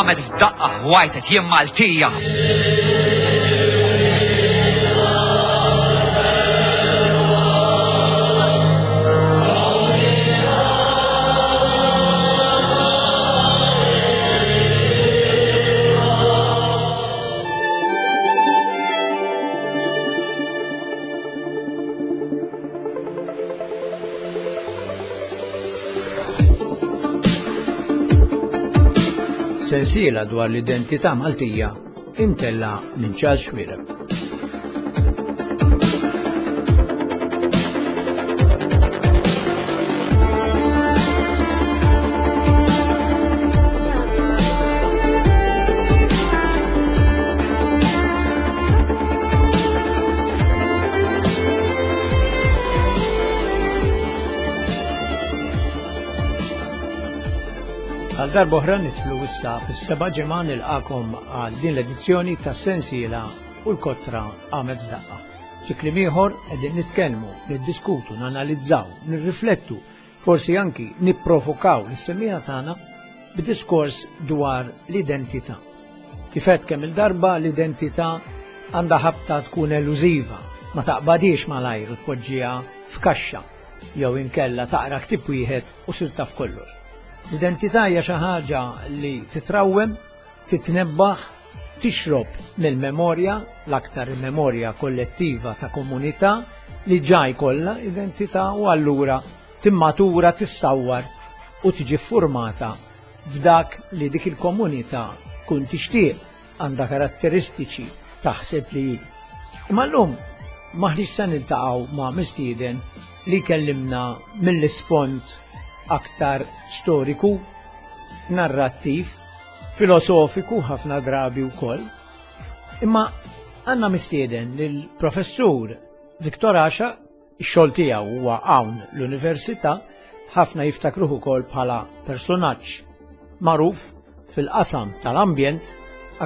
qamet f'daqqa u għajtet jien Maltija. Sensiela dwar l-identità Maltija imtella minn Charles Xuereb. Għal darba oħra nidħlu issa fis-seba' ġimgħa nilqakom għal din l-edizzjoni ta' sensiela u l-kotra għamet daqqa. Fi kliem ieħor qegħdin nitkellmu, niddiskutu, nanalizzaw, nirriflettu, forsi anki nipprovokaw lis-semmiegħa tagħna b'diskors dwar l-identità. Kif għedt kemm il-darba l-identità għandha ħabta tkun elużiva, ma taqbadhiex malajr u tpoġġiha f'kaxxa jew inkella taqra ktieb wieħed u sir taf kollox. L-identità hija xi ħaġa li titrawwem, titnebbaħ, tixrob mill-memorja, l-aktar il-memorja kollettiva ta' komunità li ġa jkollha identità u allura timmatura, tissawwar u tiġi ffurmata f'dak li dik il-komunità tkun tixtieq, għandha karatteristiċi taħseb li hi. Imma llum m'aħniex se niltaqgħu ma' mistieden li jkellimna mill-isfond aktar storiku, narrattiv, filosofiku ħafna drabi wkoll. Imma għandna mistieden lill-Professur Victor Asha Ix-xogħol tiegħu huwa hawn l-Università, ħafna jiftakruh ukoll bħala personaġġ magħruf fil-qasam tal-ambjent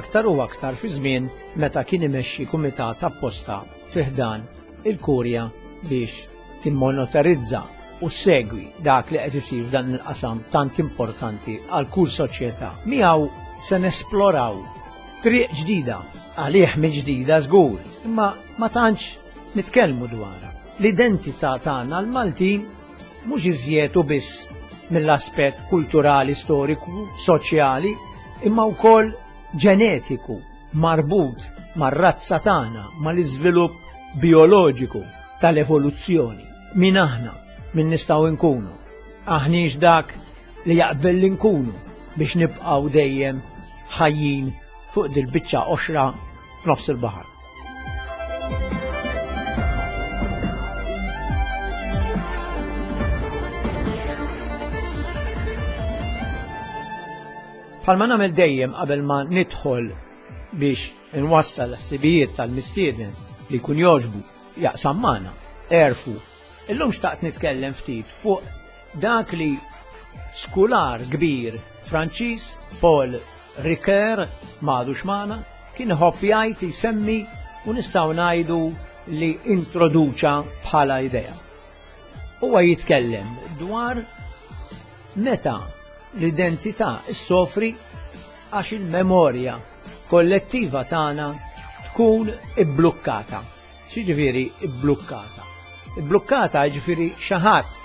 aktar u aktar fi żmien meta kien imexxi kumitat apposta fi ħdan il-Kurja biex timmonoterizza u ssegwi dak li qed isir f'dan il-qasam tant importanti għal kull soċjetà. Miegħu se nesploraw triq ġdida, għalih mi ġdida żgur, imma ma tantx nitkellmu dwarha. L-identità tagħna l-Maltin mhux iżjed u biss mill-aspett kulturali, storiku, soċjali, imma wkoll ġenetiku marbut mar-razza tagħna, mal-iżvilupp bijoloġiku tal-evoluzzjoni. Min aħna, min nistgħu nkunu. Aħniex dak li jaqbel li nkunu biex nibqgħu dejjem ħajjin fuq dil-biċċa qoxra f'nofs il-baħar. Bħalma nagħmel dejjem qabel ma nidħol biex inwassal ħsibijiet tal-mistieden li jkun jogħġbu jaqsam magħna, erfu. Illum xtaqt nitkellem ftit fuq dak li skular kbir Franċiż Paul Ricoeur m'għadux magħna, kien iħobb jgħid jsemmi u nistgħu ngħidu li introduċa bħala idea. Huwa jitkellem dwar meta l-identità issofri għax il-memorja kollettiva tagħna tkun ibblukkata. X'jiġifieri ibblukkata? Ibblukkata jiġifieri xi ħadd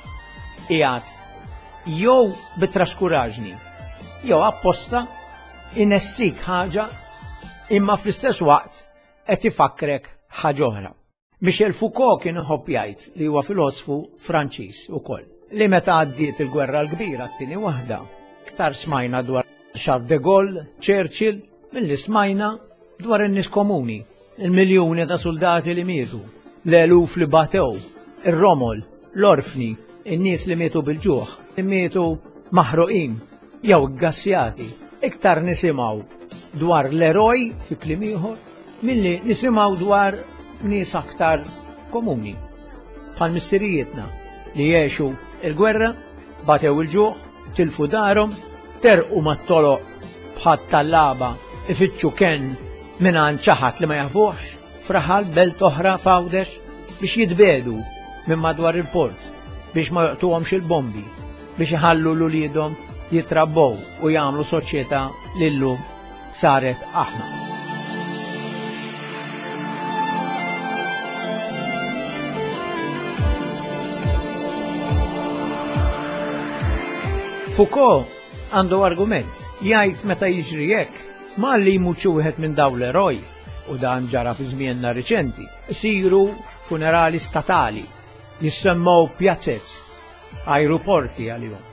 qiegħed jew bi traskuraġni jew apposta inessik ħaġa imma fl-istess waqt qed ifakkrek ħaġa oħra. Michel Foucault kien iħobb jgħid li huwa filosfu Franċiż ukoll li meta għaddiet il-gwerra l-kbira t-tieni waħda, iktar smajna dwar Charles de Gaulle, Churchill, milli smajna dwar in-nies komuni. Il-miljuni ta' suldati li mietu, l-eluf li batew, ir-romol, l-orfni, in-nies li mietu bil-ġuħ, li mietu maħruqin jew iggassjati. Iktar nisimgħu dwar l-eroj fi kliem ieħor milli nisimgħu dwar nies aktar komuni bħal missirijietna li għexu il-gwerra, batew il-ġuħ, tilfu darhom, terqu mat-toloq bħat-tallaba ifittxu kenn mingħand xi ħadd li ma jafuhx, f'raħal belt oħra f'Għawdex biex jitbiegħdu minn madwar il-port, biex ma joqtuhomx il-bombi, biex iħallu l uliedhom jitrabbow u jagħmlu soċjetà li llum saret aħna. Foucault għandu argument, jgħid meta jiġri hekk, ma li jmut xi wieħed minn dawn l-eroj, u dan ġara fi żmienna riċenti, isiru funerali statali, jissemmew pjazzez, ajruporti għalihom,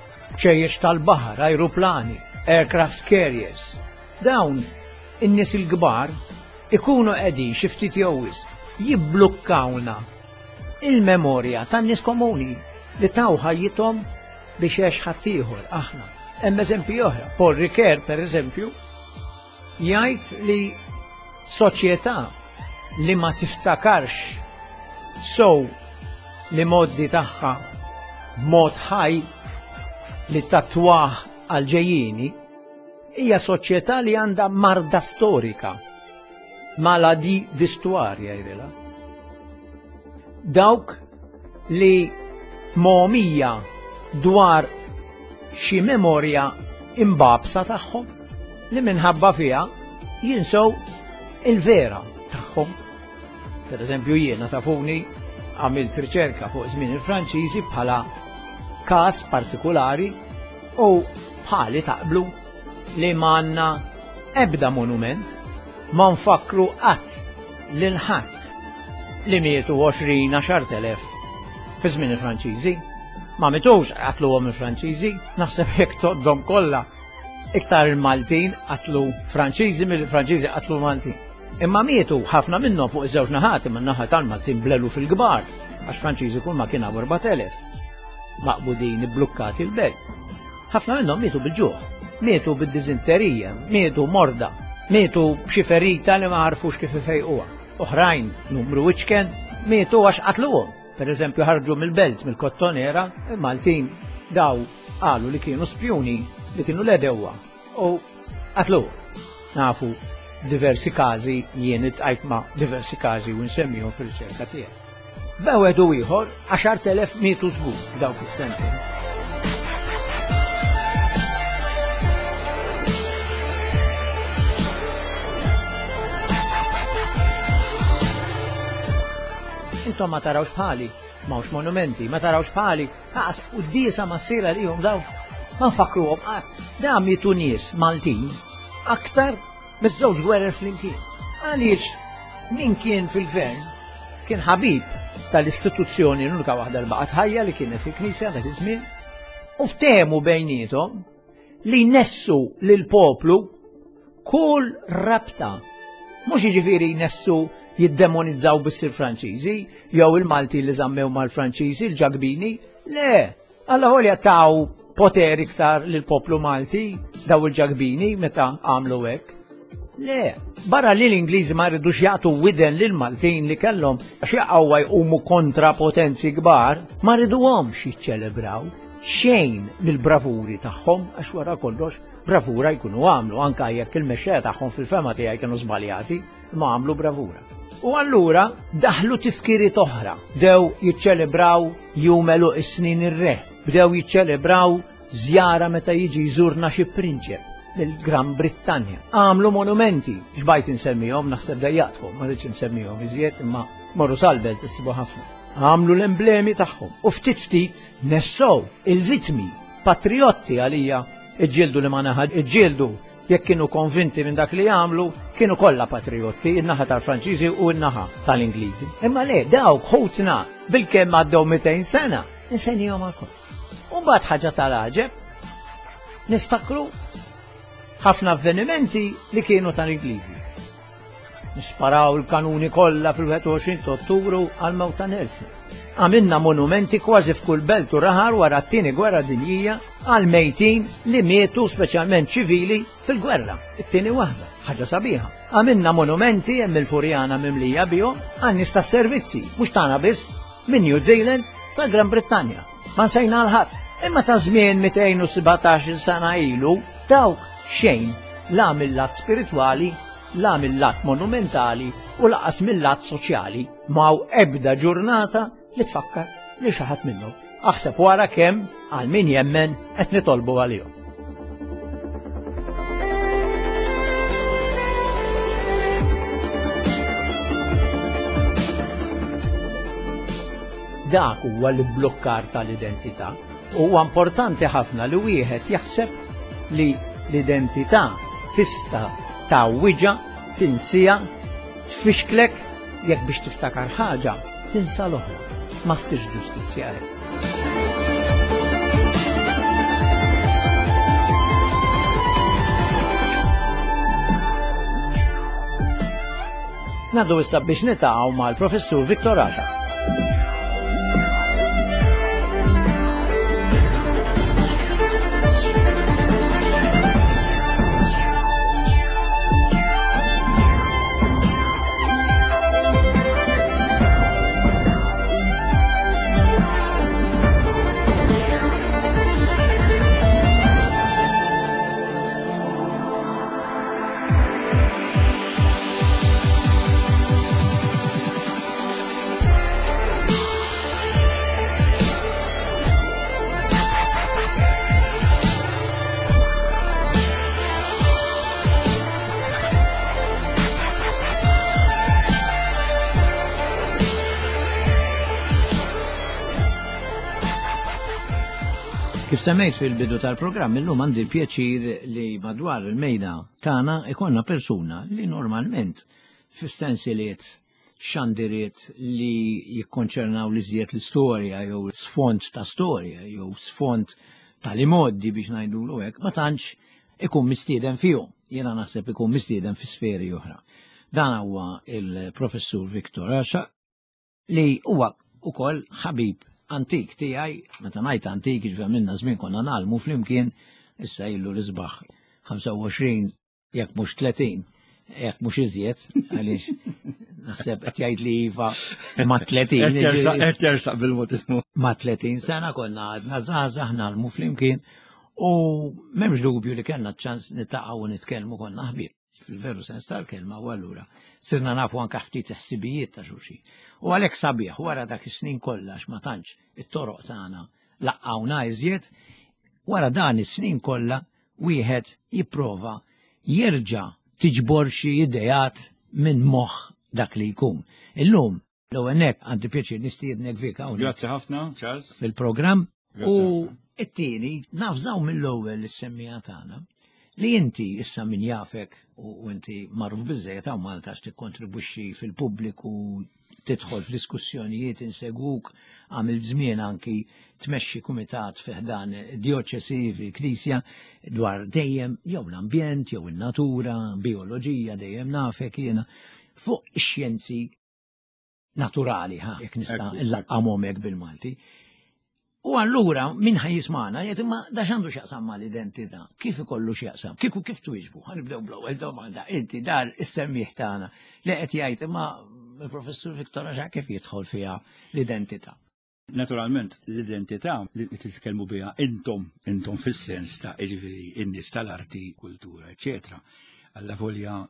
ċejjex tal-baħar, ajruplani, aircraft carriers. Dawn in-nies il-kbar ikunu qegħdin xi ftit jew wisq jibblukkawna il-memorja tan-nies komuni li taw ħajjithom biex għex ħaddieħor aħna. Hemm eżempji oħra. Paul Ricoeur, per eżempju, jgħid li soċjetà li ma tiftakarx sow li moddi tagħha b'mod ħaj li tatwah għal ġejjieni hija soċjetà li għandha marda storika, maladie d'histoire jgħidilha. Dawk li mogħmija dwar xi memorja imbabsa tagħhom li minħabba fiha jinsew il-vera tagħhom. Per eżempju jiena tafuni għamilt riċerka fuq żmien il-Franċiżi bħala każ partikulari u bħali taqblu li m'għandna ebda monument ma nfakkru qatt lil ħadd li mietu 20 10,000 fi żmien il-Franċiżi. Ma mitux qatluhom il-Franċiżi, naħseb jekk toddhom kollha iktar il-Maltin qatlu Franċiżi mill-Franċiżi qatlu Maltin. Imma mietu ħafna minnhom fuq iż-żewġ naħat imma n-naħa tal-Maltin blelu fil-kbar għax Franċiżi kull ma kien hawn 4000 maqbudin ibblukkati l-belt. Ħafna minnhom mietu bil-ġuħ, mietu bid-diżinterija, mietu morda, mietu b'xi ferita li ma għarfux kif ifejquha. Oħrajn, numru iċken, mietu għax qatluhom. Per eżempju ħarġu mill-belt mill-Kottonera, il-Maltin daw qalu li kienu spjuni li kienu l-edewwa u qatlu. Nafu diversi każi jien iltqajt ma' diversi każi u nsemmihom fir-riċerka tiegħi. B'wieħed u ieħor 10,000 mietu żgur f'dawk is-sentejn. Intom ma tarawx bħali, m'hawnx monumenti, ma tarawx bħali, aqas quddiesa ma ssir għalihom daw. Ma nfakkruhom qatt. Da mietu nies Maltin aktar miż-żewġ gwerer flimkien. Għaliex min kien fil-gvern kien ħabib tal-istituzzjoni l-unika waħda li baqgħet ħajja li kienet il-Knisja dak iż-żmien u ftehmu bejniethom li jnessu lill-poplu kull rabta. Mhux jiġifieri jnessu jiddemonizzaw biss il-Franċiżi jew il-Malti li żammew mal-Franċiżi, il-Ġakbini. Le, Alla ħolja taw poter iktar lill-poplu Malti daw il-Ġakbini meta għamlu hekk. Le, barra li l-Ingliżi ma rridux jagħtu widen lil Maltin li kellhom għax jaqgħu jqumu kontra potenzi kbar, ma rriduhomx jiċċelebraw xejn mill-bravuri tagħhom għax wara kollox bravura jkunu għamlu anka jekk il-mexxejja tagħhom fil-fema tiegħi kienu żbaljati, ma għamlu bravura. U allura daħlu tifkiriet oħra, bdew jiċċelebraw jum għeluq is-snin ir-re, bdew jiċċelebraw żjara meta jiġi jżurna xi prinċep mill-Gran Brittanja. Għamlu monumenti, xbajt insemmihom, naħseb dejjaqtkom, ma rridx insemmihom iżjed, imma morru sal-belt issibu ħafna. Għamlu l-emblemi tagħhom u ftit ftit nessow il-vitmi patriotti għalija iġġieldu li ma naħa iġġieldu jekk kienu konvinti minn dak li għamlu, kienu kollha patriotti, in-naħa tal-Franċiżi u n-naħa tal-Ingliżi. Imma le, dawk ħutna bilkemm għaddew 200 sena, insejnihom għal kollox. U mbagħad ħaġa tal-għaġeb, niftakru ħafna avvenimenti li kienu tal-Ingliżi. Nisparaw il-kanuni kollha fil-21 ta' Ottubru għal mewt ta' Nelson. Għamilna monumenti kważi f'kull belt u raħal wara t-tieni gwerra dinjija għal mejtin li mietu speċjalment ċivili fil-gwerra, it-tieni waħda, ħaġa sabiħa. Għamilna monumenti hemm il-Furjana mimlija bihom għan nies tas-servizzi, mhux tagħna biss, minn New Zealand sa Gran Brittanja. Ma nsejna l-ħadd. Imma ta' żmien 217 sena ilu dawk xejn la mill-lat spiritwali la mil-lat monumentali u laqas mil-lat soċjali m'hawn ebda ġurnata li tfakkar li xi ħadd minnhom. Aħseb wara kemm għal min jemmen qed nitolbu għalihom. Dak huwa l-ibblukkar tal-identità. Huwa importanti ħafna li wieħed jaħseb li l-identità tista' tgħawwiġha, tinsiha, tfixklek jekk biex tiftakar ħaġa tinsa l-oħra. Ma ssirx ġustizzja hekk. Ngħaddu issa biex nitaqgħu mal-Professur Victor Asha. Kif semmejt fil-bidu tal-programm, illum għandi l-pjaċir li madwar il-mejda tagħna ikollna persuna li normalment fis-sensiliet xandiriet li jikkonċernaw li żjed l-istorja jew sfond ta' storja jew sfond tal-imoddi biex ngħidulu hekk, ma tantx ikun mistieden fihom. Jiena naħseb ikun mistieden fi sferi oħra. Dan huwa il-professur Viktor Asha li huwa ukoll ħabib antik tiegħi, meta ngħid antik jiġifieri minna żmien konna nagħlmu flimkien, issa illu l-isbaħ 25 jekk mhux 30, jekk mhux iżjed, għaliex naħseb qed jgħid li iva ma' 30. Qed tersaq bil-mod ismu. Ma' 30 sena konna għadna żgħażagħ nagħlmu flimkien u m'hemmx dubju li kellna ċans nitaqgħu u nitkellmu konna ħbieb fil-veru sens tal-kelma u allura sirna nafu anka ftit ħsibijiet ta' xulxin. U għalhekk sabiħ wara dak is-snin kollha ma tantx it-toroq tagħna laqgħuna iżjed, wara dan is-snin kollha wieħed jipprova jerġa' tiġbor xi ideat minn moħħ dak li jkun. Illum l-ewwel nett għandi pjaċir nistiednek Vik hawnhekk. Grazzi ħafna, Charles. Fil-programm. U it-tieni nafżaw mill-ewwel is-semmija tagħna li inti issa min jafek u inti magħruf biżżejjed hawn Malta għax tikkontribwixxi fil-pubbliku tidħol f'diskussjonijiet insegwuk għamilt żmien anki tmexxi kumitat fi ħdan djoċesi fil-Knisja dwar dejjem jew l-ambjent jew in-natura, bioloġija dejjem nafek jiena fuq ix-xjenzi naturali, ha, jekk nista' nlaqqamhom hekk bil-Malti. U allura min ħa jismagħna jgħid imma da x'għandu x'jaqsam mal-identità? Kif ikollu x'jaqsam? Kieku kif twieġbu? Ħa nibdew bl-ewwel domanda. Inti dar is-semmiegħ tagħna li qed jgħid imma il-professur Victor Għaxa kif jidħol fiha l-identità? Naturalment l-identità li titkellmu biha intom, intom fis-sens ta' jiġifieri n-nies tal-arti, kultura, eċċetera. Alla volja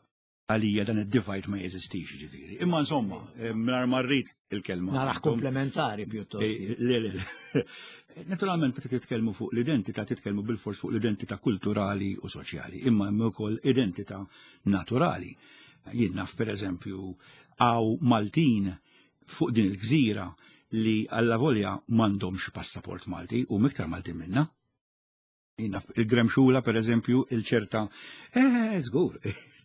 Għalija dan id-divide ma jeżistix ġifieri. Imma insomma, eh, mingħajr ma rrid il-kelma. Naraħ komplementari pjuttost. Eh, le, le, le. Naturalment meta titkellmu fuq l-identità titkellmu bil-fors fuq l-identità kulturali u soċjali, imma hemm ukoll identità naturali. Jien naf pereżempju għaw Maltin fuq din il-gżira li alla volja m'għandhomx passaport Malti u miktar Maltin minna. Il-gremxula, per eżempju, il-ċerta, eh, żgur,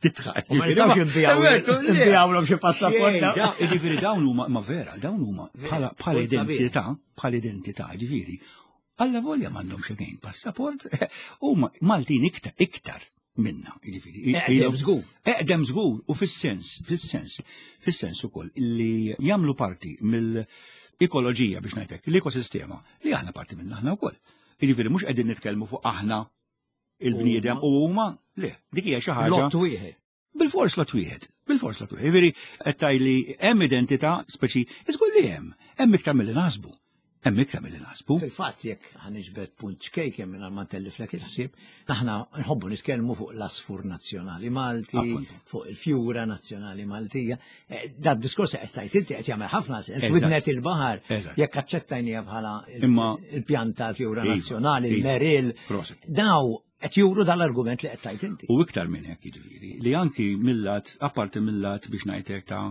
titħaq. Ma jistgħux inbijawlhom xi passaport. Jiġifieri dawn huma, ma vera, dawn huma bħala identità, bħala identità, jiġifieri. Alla volja m'għandhomx again passaport, huma Maltin iktar, iktar minna, jiġifieri. Eqdem żgur. Eqdem żgur u fis-sens, fis-sens, fis-sens ukoll li jagħmlu parti mill-ekoloġija biex ngħidlek, l-ekosistema li aħna parti minna aħna wkoll. Jiġifieri mhux qegħdin nitkellmu fuq aħna il-bniedem u huma, le, dik hija xi ħaġa. Lot wieħed. Bil-fors lot wieħed, bil-fors lot wieħed. Jiġifieri qed tgħidli hemm identità speċi, iżgur li hemm, hemm iktar milli naħsbu. Hemm iktar milli naħsbu. Fil-fatt jekk ħaniġbed punt ċkejken minn ma ntelliflek il-ħsieb, aħna nħobbu nitkellmu fuq l-asfur nazzjonali Malti, fuq il-fjura nazzjonali Maltija. Eh, da diskors qed tajt inti qed jagħmel ħafna sens. Widnet il-baħar jekk aċċettajnija bħala il-pjanta fjura iva, nazzjonali, iva. il-meril. Daw qed juru dal-argument li qed tajt inti. U iktar minn hekk jiġifieri li anki millat, apparti millat biex ngħidlek ta'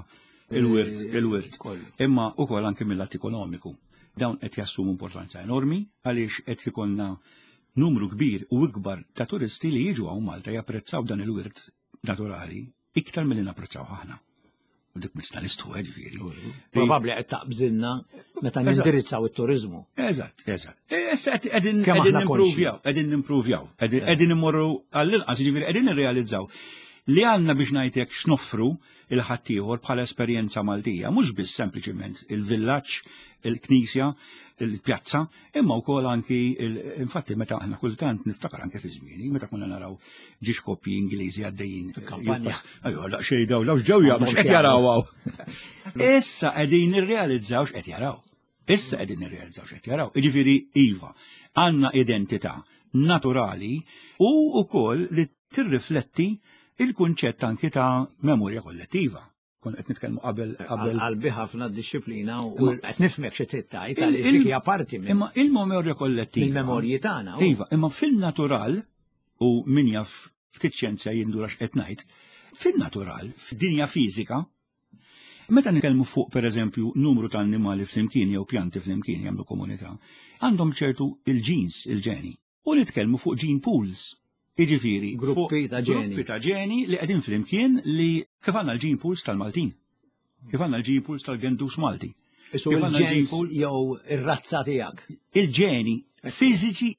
il-wirt, eh, il-wirt. Imma ukoll anki millat ekonomiku. Dawn qed jassumu importanza enormi għaliex qed ikollna numru kbir u ikbar ta' turisti li jiġu hawn Malta japprezzaw dan il-wirt naturali iktar milli napprezzaw aħna. U dik misna l-istu, eh, ġifieri. Probabbli qed taqbżilna meta nindirizzaw it-turiżmu. Eżatt, eżatt. E, issa qegħdin nimpruvjaw, qegħdin nimpruvjaw, qegħdin immorru għall-inqas, ġifieri qegħdin nirrealizzaw li għandna biex ngħidlek x'noffru il-ħaddieħor bħala esperjenza Maltija, mhux biss sempliċiment il-villaġġ, il-knisja, il-pjazza, imma wkoll anki infatti meta aħna kultant niftakar anke fi żmieni, meta konna naraw ġiex koppji Ingliżi għaddejjin fil-kampanja. Ajwa, daqsxejn daw, daw x'ġew jagħmlu x'qed jaraw hawn. Issa qegħdin nirrealizzaw x'qed jaraw. Issa qegħdin nirrealizzaw x'qed jaraw. Jiġifieri iva, għandna identità naturali u wkoll li tirrifletti il-kunċett anki ta' memorja kollettiva. Kon qed nitkellmu qabel qabel. Qalbi ħafna d-disciplina u qed nifhmek xi trid tgħid għaliex dik hija parti minn. Imma il-memorja kollettiva. Il-memorji tagħna. Iva, imma fil-natural u min jaf ftit xjenza jindura x'qed ngħid, fil-natural, fid-dinja fiżika, meta nitkellmu fuq pereżempju numru ta' annimali flimkien jew pjanti flimkien jagħmlu komunità, għandhom ċertu il-ġins, il-ġeni. U nitkellmu fuq gene pools. Jiġifieri gruppi ta' ġeni. Gruppi ta' ġeni li qegħdin flimkien li kif għandna l-gene pools tal-Maltin. Kif għandna l-gene pools tal-Gendus Malti. Isu il-ġens jew ir-razza tiegħek. Il-ġeni fiżiċi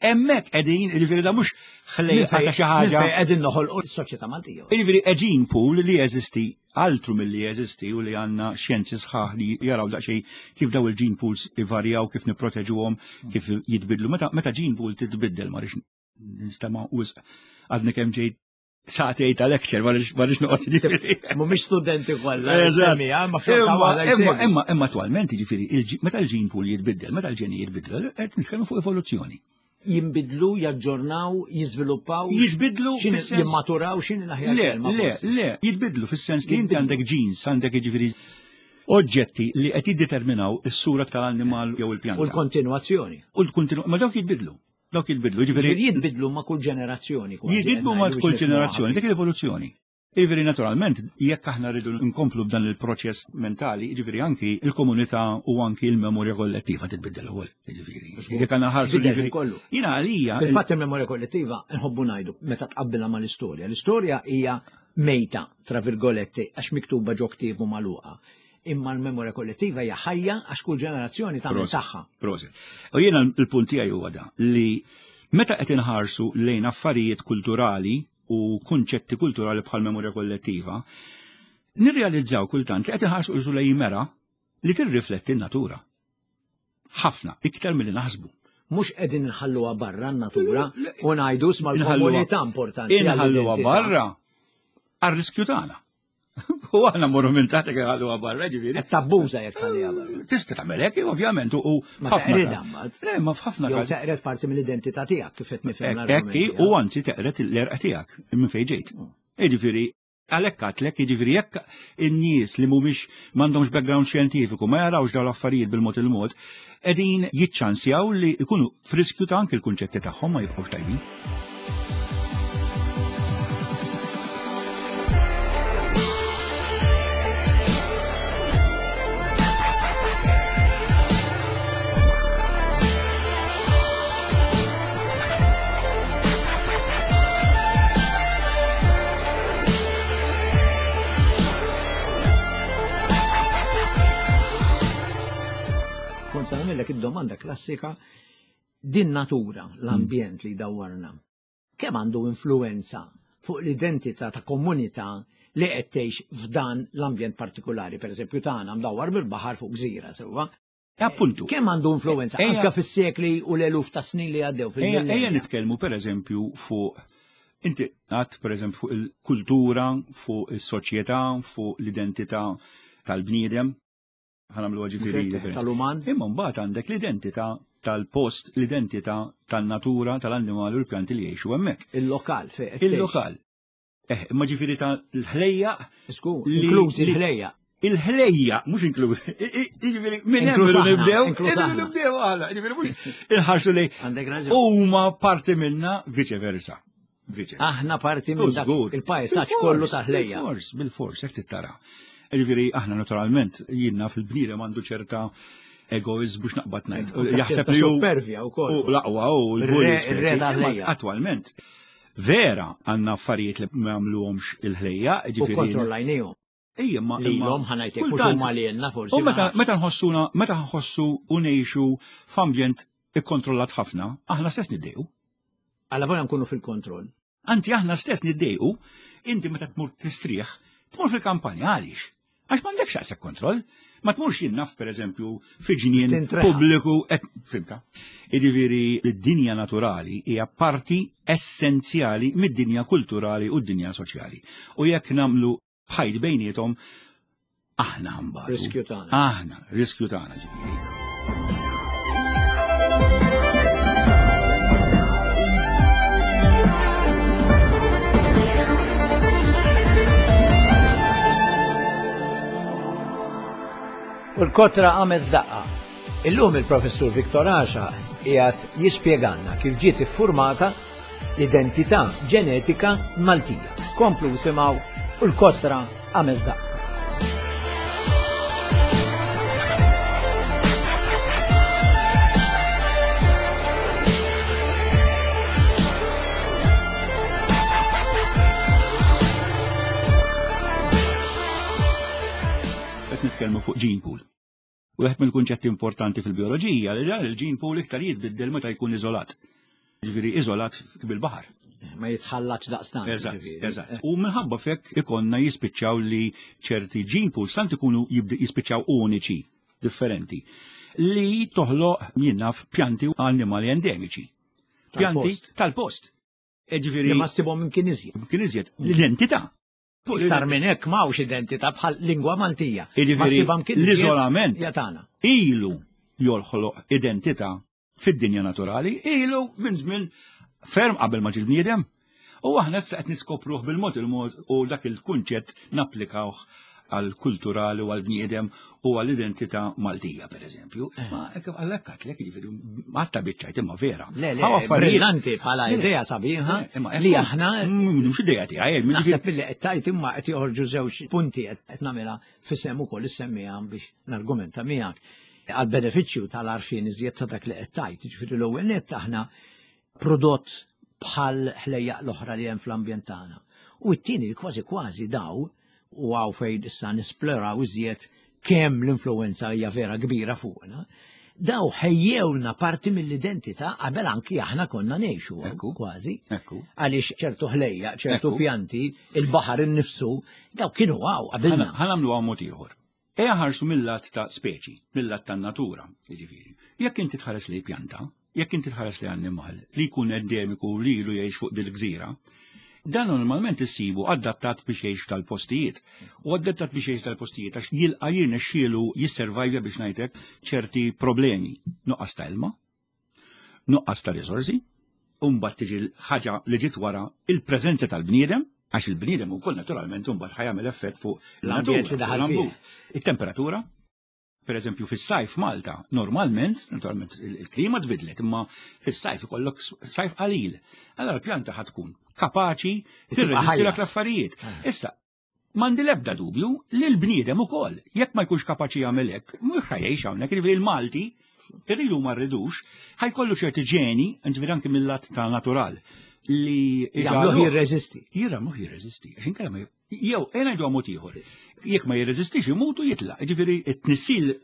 hemmhekk qegħdin, jiġifieri da mhux ħlejqa ta' xi ħaġa. Qegħdin noħolqu s-soċjetà Maltija. Jiġifieri gene pool li jeżisti altru milli jeżisti u li għandna xjenzi sħaħ li jaraw daqsxejn kif daw il-gene pools ivarjaw, kif nipproteġuhom, kif jitbidlu. Meta, meta gene pool titbiddel ma rix nistema' wisq għadni kemm ġejt sagħtejn ta' lecture ma rix noqgħod jiġifieri. Mhumiex studenti kollha. Imma imma imma attwalment jiġifieri meta l-gene pool jitbiddel, meta l-ġeni jitbiddel, qed nitkellmu fuq evoluzzjoni jinbidlu, jaġġornaw, jiżviluppaw. Jitbidlu fis-sens. Jimmaturaw x'inhi l-aħjar Le, le, le, jitbidlu fis-sens li inti għandek genes, għandek jiġifieri oġġetti li qed jiddeterminaw is-sura tal-annimal jew il-pjanta. U l-kontinwazzjoni. U l-kontinwazzjoni, ma dawk jitbidlu. Dawk jitbidlu, jiġifieri. Jitbidlu ma' kull ġenerazzjoni. Jitbidlu ma' kull ġenerazzjoni, dik l-evoluzzjoni. Jiġifieri naturalment, jekk aħna rridu nkomplu b'dan il-proċess mentali, jiġifieri anki il-komunità u anki il-memorja kollettiva titbiddel ukoll, jiġifieri. Jekk għandna ħarsu jiġifieri kollu. Jiena għalija. Fil-fatt il-memorja kollettiva nħobbu ngħidu meta tqabbilha mal-istorja. L-istorja hija mejta, tra virgoletti, għax miktuba ġo ktieb u magħluqa. Imma l-memorja kollettiva hija ħajja għax kull ġenerazzjoni tagħmel tagħha. Prosit. U jiena l-punt tiegħi huwa da li meta qed inħarsu lejn affarijiet kulturali u kunċetti kulturali bħal memorja kollettiva, nirrealizzaw kultant li qed inħarsu qisu lejn mera li tirrifletti n-natura. Ħafna, iktar milli naħsbu. Mhux qegħdin inħalluha barra n-natura u ngħidu sma l-komunità importanti. Inħalluha barra għar-riskju tagħna. U aħna morru minn taħt jekk ħalluha barra, ġifieri. Qed tabbuża jekk tħalliha barra. Tista' tagħmel hekk, ovvjament, u Ma teqridha mbagħad. Le, ma f'ħafna każi. Teqred parti mill-identità tiegħek kif qed nifhem. Hekk u anzi teqred l-erqa tiegħek minn fejn ġejt. Mm. Jiġifieri, għalhekk għatlek, jiġifieri jekk in-nies li mhumiex m'għandhomx background xjentifiku ma jarawx dawn l-affarijiet bil-mod il-mod, qegħdin jiċċansjaw li jkunu f'riskju ta' anki l-kunċetti tagħhom ma jibqgħux tajbin. Kont se nagħmellek id-domanda klassika din natura, l-ambjent li jdawwarna, kemm għandu influenza fuq l-identità ta' komunità li qed tgħix f'dan l-ambjent partikolari, pereżempju tagħna mdawwar bil-baħar fuq gżira sewwa. Appuntu. Kemm għandu influenza anke fis-sekli u l-eluf ta' snin li għaddew fil Ejja nitkellmu pereżempju fuq inti għad pereżempju fuq il-kultura, fuq is-soċjetà, fuq l-identità tal-bniedem. Ħanamlu ġifieri tal-uman. Imma mbagħad għandek l-identità tal-post, l-identità tan-natura, tal-annimali u l-pjanti li jgħixu hemmhekk. Il-lokal fejn. Il-lokal. Eh, imma ġifieri ta' l-ħlejja. Inklużi l-ħlejja. Il-ħlejja, mhux inklużi. Ġifieri minn hemm nibdew, nibdew għala, ġifieri mhux inħarsu li huma parti minna viċe versa. Aħna parti minn dak il-pajsaġġ kollu ta' ħlejja. Bil-fors, bil-fors, hekk tittara. Ġifieri aħna naturalment jiena fil-bniedem għandu ċerta egoizmu x'naqbad ngħid. Jaħseb li supervja wkoll. U l-aqwa u l-bulli. Attwalment, vera għandna affarijiet li ma jagħmluhomx il-ħlejja, ġifieri. U kontrollajnihom. Ejja, ma lilhom ħanajtek mhux huma lilna forsi. U meta meta nħossuna, meta nħossu u ngħixu f'ambjent ikkontrollat ħafna, aħna stess niddejqu. Alla volja nkunu fil-kontroll. Anzi aħna stess niddejqu, inti meta tmur tistrieħ, tmur fil-kampanja għaliex? Għax m'għandekx daqshekk kontroll. Ma tmurx jien naf pereżempju fi ġnien pubbliku, fimta. Jiġifieri d-dinja naturali hija parti essenzjali mid-dinja kulturali u d-dinja soċjali. U jekk nagħmlu ħajt bejniethom aħna ħambatu. Riskju tagħna. Aħna, riskju tagħna ġifieri. U l-kotra għamet f'daqqa. Illum il-professur Viktor Għaxa qiegħed jispjegalna kif ġiet iffurmata l-identità ġenetika Maltija. Komplu simgħu u l-kotra għamel daqqa. Qed nitkellmu fuq gene pool. Wieħed mill-kunċetti importanti fil-bioloġija li dan il-gene pool iktar jitbiddel meta jkun iżolat. Ġifieri iżolat bil-baħar. Ma jitħallatx daqstant. Eżatt, eżatt. U minħabba fekk ikonna jispiċċaw li ċerti gene pools tant ikunu jispiċċaw uniċi, differenti, li toħloq jien naf pjanti u annimali endemiċi. Pjanti tal-post. Ġifieri. Li ma ssibhom imkien iżjed. Imkien iżjed. L-identità. Iktar minn hekk m'hawnx identità bħal lingwa Maltija. L-iżolament ilu jolħloq identità fid-dinja naturali ilu minn żmien ferm qabel ma ġie bniedem. U aħna issa qed niskopruh bil-mod il-mod u dak il-kunċett napplikawh għal kulturali u għal bniedem u għal identità Maltija, per eżempju. Eh. Ma għallek għatlek, ġifiri, għatta bieċajt imma vera. Le, le, brillanti bħala idea sabiħa li aħna. Mm, mhux idea tiegħi. Eh, Naħseb li qed tajt imma qed joħorġu żewġ punti qed nagħmilha fisem ukoll issemmiha biex nargumenta miegħek għal benefiċċju tal-arfin iżjed ta' dak li qed tajt. Ġifieri l-ewwel nett aħna prodott bħal ħlejjaq l-oħra li hemm fl-ambjent tagħna. U t-tieni kważi kważi daw u għaw fejn issa nisploraw iżjed kemm l-influenza hija vera kbira fuqna, daw ħejjewna parti mill-identità qabel anki aħna konna ngħixu Ekku, kważi. Ekku. Għaliex ċertu ħlejja, ċertu pjanti, il-baħar innifsu, daw kienu għaw qabilna. Ħanamlu għaw mod ieħor. Ejja ħarsu mill-lat ta' speċi, mill-lat ta' natura, jiġifieri. Jekk inti tħares li pjanta, jekk inti tħares li annimal li jkun endemiku li ilu jgħix fuq dil-gżira, dan normalment issibu adattat biex jgħix tal-postijiet. U adattat biex jgħix tal-postijiet għax jilqa' jirnexxielu jisservajvja biex ngħidlek ċerti problemi. Nuqqas ta' ilma, nuqqas ta' riżorsi, u mbagħad tiġi ħaġa li ġiet wara il-preżenza tal-bniedem, għax il-bniedem ukoll naturalment imbagħad ħajamel effett fuq l-ambjent li daħal fih. It-temperatura, per eżempju fis-sajf Malta, normalment, naturalment il-klima tbidlet, imma fis-sajf ikollok sajf qalil. Allora l-pjanta ħad tkun kapaċi tirreżisti dak l-affarijiet. Ah. Issa, M'għandi l-ebda dubju li l-bniedem ukoll, jekk ma jkunx kapaċi jagħmel hekk, mhux ħa jgħix hawnhekk, jiġifieri l-Malti, irridu ma rridux, ħa jkollu ċerti ġeni, ġifieri anki mill-lat ta' natural, li jagħmluh jirreżisti. Jagħmluh jirreżisti, għax inkella ma jew ngħidu mod ieħor. Jekk ma jirreżistix imutu jitlaq, jiġifieri t-tnissil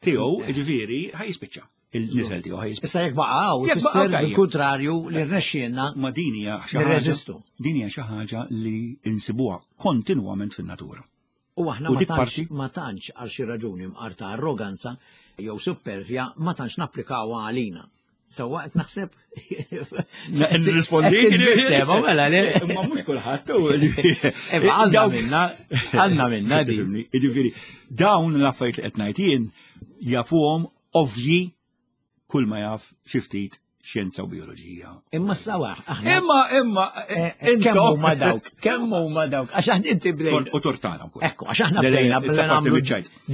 tiegħu, ġifieri, ħaj jispiċċa. Il-nisel tiegħu ħaj jispiċċa. Issa jekk baqgħu, ifisser bil-kuntrarju li rnexxielna. Ma din hija xi ħaġa. Din hija xi ħaġa li insibuha kontinwament fin-natura. U aħna ma tantx ma tantx għal xi raġuni mqar ta' arroganza jew supervja ma tantx napplikawha għalina. Sewwa qed naħseb. Nirrispondi. Sema mela le. Imma mhux kulħadd. Imma għandna minna, għandna minna di. Jiġifieri dawn l-affarijiet li qed ngħid jien jafuhom ovvji kull ma jaf xi ftit xjenza u bioloġija. Imma sawa, aħna. Imma, imma, eh, eh, kemm huma dawk, kemm huma dawk, għax aħna inti bdejna. U tortana wkoll. Ekku, għax aħna bdejna nagħmlu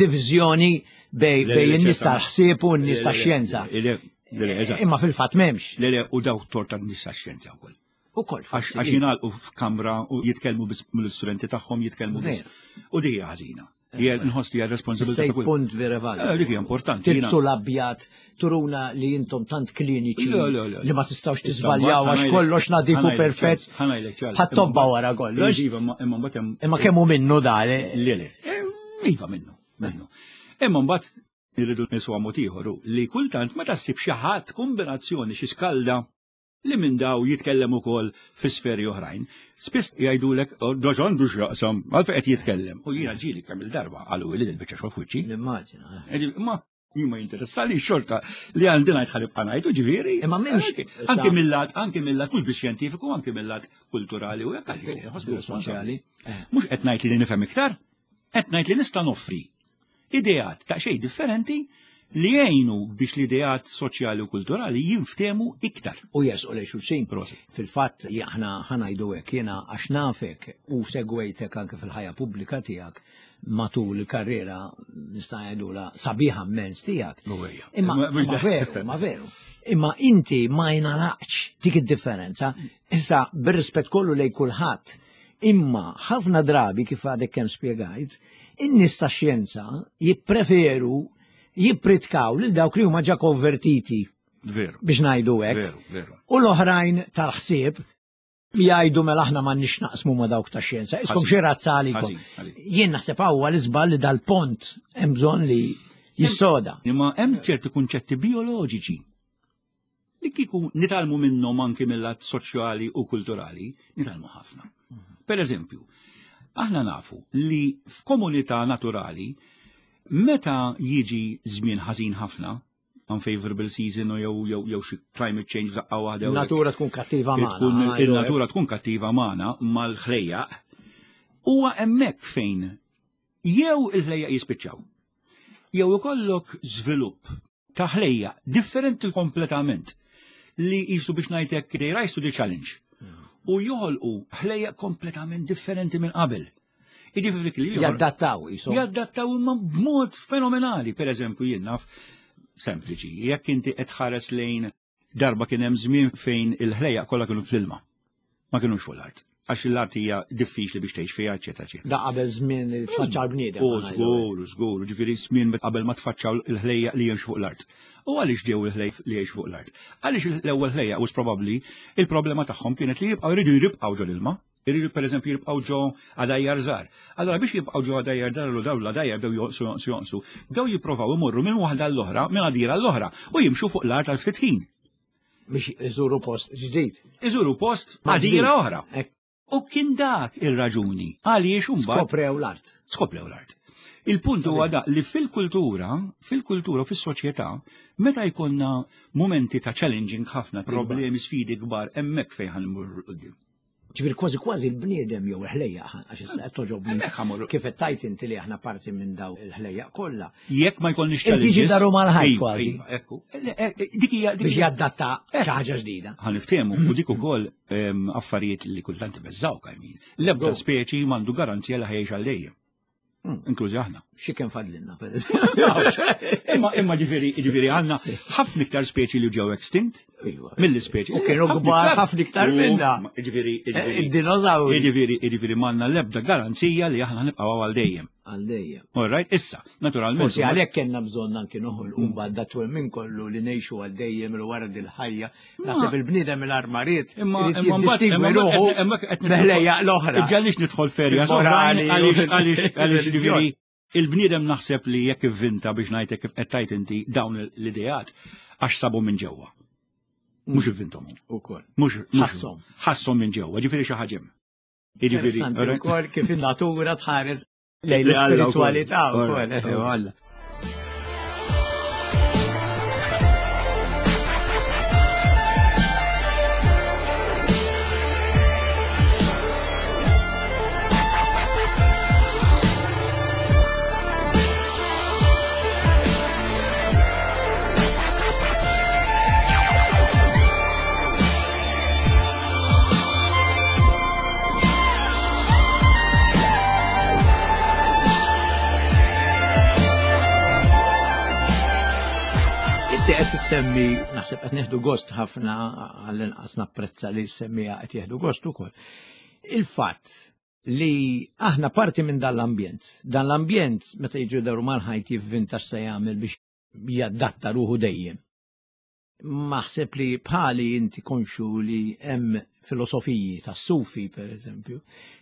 diviżjoni bej in-nies tal-ħsieb u n-nies tax-xjenza. Imma fil-fatt m'hemmx. Le, le, u dawk torta n-nies tax-xjenza wkoll. Ukoll Għax jingħalqu f'kamra u jitkellmu biss mill-istudenti tagħhom jitkellmu biss. U di hija ħażina. Hija nħoss li hija responsabilità ta' kull. Punt vera validu. Eh, dik hija importanti. Tilbsu l-abjad turuna li intom tant kliniċi li ma tistgħux tiżbaljaw għax kollox nadifu perfett. Ħadd wara kollox. Iva, imma mbagħad hemm. Imma kemm hu minnu dan. Eh? Le, le. Eh, iva minnu, minnu. Imma mbagħad irridu niswa mod ieħor li kultant meta ssib xi ħadd kombinazzjoni xi skalda li minn daw jitkellem ukoll fi sferi oħrajn. Spiss jgħidulek, oh, dax għandu x'jaqsam, għalfejn qed jitkellem. U jiena ġieli kemm il-darba qalu li dil-biċċa xogħol f'wiċċi. Nimmaġina. Eh. Ma jien ma jinteressali xorta li għandi ngħid ħalib ngħidu ġifieri. Imma m'hemmx. Anki mill-lat, anki mill-lat mhux biex xjentifiku, anki mill-lat kulturali u hekk għaliex soċjali. Eh. Mhux qed ngħid li nifhem iktar, qed ngħid li nista' noffri ideat ta' xejn differenti li jgħinu biex l-ideat soċjali u kulturali jinftemu iktar. U jersqu lejn xulxin. Fil-fatt aħna ħanajdu hekk jiena għax nafek u segwejtek anke fil-ħajja pubblika tiegħek matul il-karriera nista' ngħidula sabiħa mmens tiegħek. Imma ma veru, ma veru. Imma inti ma jingħalaqx dik id-differenza. Issa bir-rispett kollu lejn kulħadd Imma ħafna drabi kif għadek kemm spjegajt, in-nies ta' xjenza jippreferu jippritkaw lil dawk li huma ġa konvertiti. Veru. Biex ngħidu hekk. Veru, veru. U l-oħrajn tal-ħsieb jgħidu mela aħna m'għandniex naqsmu ma' dawk ta' xjenza. Iskom xi razza għalikom. Jien naħseb hawn l-iżball li dal-pont hemm bżonn li jissoda. Imma hemm ċerti kunċetti bioloġiċi li kieku nitgħallmu minnhom anki mill-lat soċjali u kulturali, nitgħallmu ħafna. Per eżempju, aħna nafu li f'komunità naturali meta jiġi żmien ħażin ħafna, unfavorable season u jew jew jew xi climate change f'daqqa waħda. Natura tkun kattiva magħna. Il-natura tkun kattiva magħna mal-ħlejjaq. Huwa hemmhekk fejn jew il-ħlejjaq jispiċċaw. Jew ikollok żvilupp ta' ħlejjaq differenti kompletament li jisu biex ngħidlek they rise to the challenge u joħolqu ħlejjaq kompletament differenti minn qabel. Jiġifieri li jaddattaw jisu. Jaddattaw imma b'mod fenomenali, per eżempju jien naf sempliċi, jekk inti qed tħares lejn Darba kien hemm żmien fejn il-ħlejjaq kollha kienu fl-ilma. Ma kinux fuq l-art. Għax l-art hija diffiċli biex tgħix fiha, eċetera, eċetera. Da qabel żmien li tfaċċa l-bniedem. U żgur, żgur, ġifieri żmien qabel ma tfaċċaw il-ħlejjaq li jgħixu fuq l-art. U għaliex ġew il-ħlejjaq li jgħixu fuq l-art? Għaliex l-ewwel ħlejjaq was probabbli il-problema tagħhom kienet li jibqgħu jridu jibqgħu ġol ilma. Iridu pereżempju jibqgħu ġo għadajjar żgħar. Allora biex jibqgħu ġo għadajjar żgħar u dawn l-għadajjar bdew jonqsu jonqsu jonqsu, bdew jipprovaw imorru minn waħda l-oħra, minn għadira l-oħra u jimxu fuq l-art għal ftit ħin. Biex iżuru post ġdid. Iżuru post għadira oħra. U kien dak ir-raġuni għaliex imbagħad. Skoprew l-art. Skoprew l-art. Il-punt huwa da li fil-kultura, fil-kultura u fis-soċjetà, meta jkollna momenti ta' challenging ħafna, problemi, sfidi kbar, hemmhekk fejn ħanmur quddiem. Ġifieri kważi kważi l-bniedem jew il-ħlejjaq għax issa qed toġobni. Kif qed tajt inti li aħna parti minn daw il-ħlejjaq kollha. Jekk ma jkollniex challenges. Tiġi daru mal-ħajt iva, kważi. Iva, ekku. Eh, eh, dik hija biex jaddatta eh. xi ħaġa ġdida. Ħa niftehmu u dik ukoll ehm, affarijiet li kultant ibeżżawk għajmin. L-ebda speċi m'għandu garanzija li ħajx għal dejjem. Hmm. Inklużi aħna. Xi kemm fadlinna, per Imma imma ġifieri ġifieri għandna ħafna iktar speċi li ġew extinct iva. mill-ispeċi. U kienu kbar ħafna iktar minna. Ġifieri eh, id-dinożawri. Ġifieri ġifieri m'għandna l-ebda garanzija li aħna nibqgħu għal dejjem. Għal dejjem. All right, issa, naturalment. Forsi għalhekk kellna bżonn anki noħolqu mbagħad dat minn kollu li ngħixu għal dejjem il wara dil-ħajja Naħseb il-bniedem il-armariet. Imma imma ruħu meħlejja l-oħra. Ġalix nidħol ferja morali għaliex għaliex ġifieri il-bniedem naħseb li jekk ivvinta biex ngħidlek kif qed tajt inti dawn l-ideat għax sabu minn ġewwa. Mhux ivvintom. Ukoll. Mhux ħasshom. Ħasshom minn ġewwa, ġifieri xi ħaġa. Jiġifieri ukoll kif in-natura tħares Lejn l-ispiritualità wkoll. Inti qed issemmi, naħseb qed nieħdu gost ħafna għall-inqas napprezza li semmija qed jieħdu gost ukoll. Il-fatt. Li aħna parti minn dan l-ambjent. Dan l-ambjent meta jiġu daru mal-ħajt jivvinta x'se jagħmel biex jadatta ruħu dejjem. Maħseb li bħali inti konxu li hemm filosofiji tas-sufi per eżempju,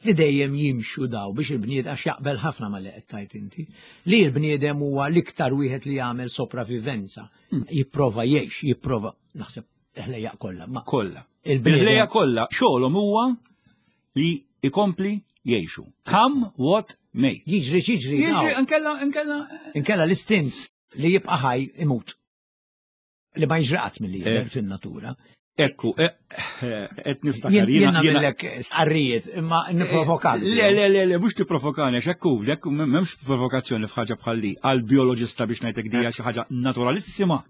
li dejjem jimxu daw biex il-bniedem għax jaqbel ħafna ma li qed tajt inti, li l-bniedem huwa l-iktar wieħed li jagħmel sopravivenza, jipprova jgħix, jipprova naħseb il-ħlejjaq kollha. Ma kollha. Il-ħlejjaq kollha xogħolhom huwa li ikompli jgħixu. Come what may. Jiġri xiġri. Jiġri inkella inkella. Inkella l-istint li jibqa' ħaj imut. Li ma jiġri qatt milli jidher eh. fin-natura. Ekku, eh, eh, qed niftakar. Jien nagħmellek sqarrijiet, imma nipprovokak. Le, le, le, le, mhux tipprovokani, għax ekku, ekku m'hemmx provokazzjoni f'ħaġa bħal li għal bioloġista biex ngħidlek dija xi ħaġa naturalissima.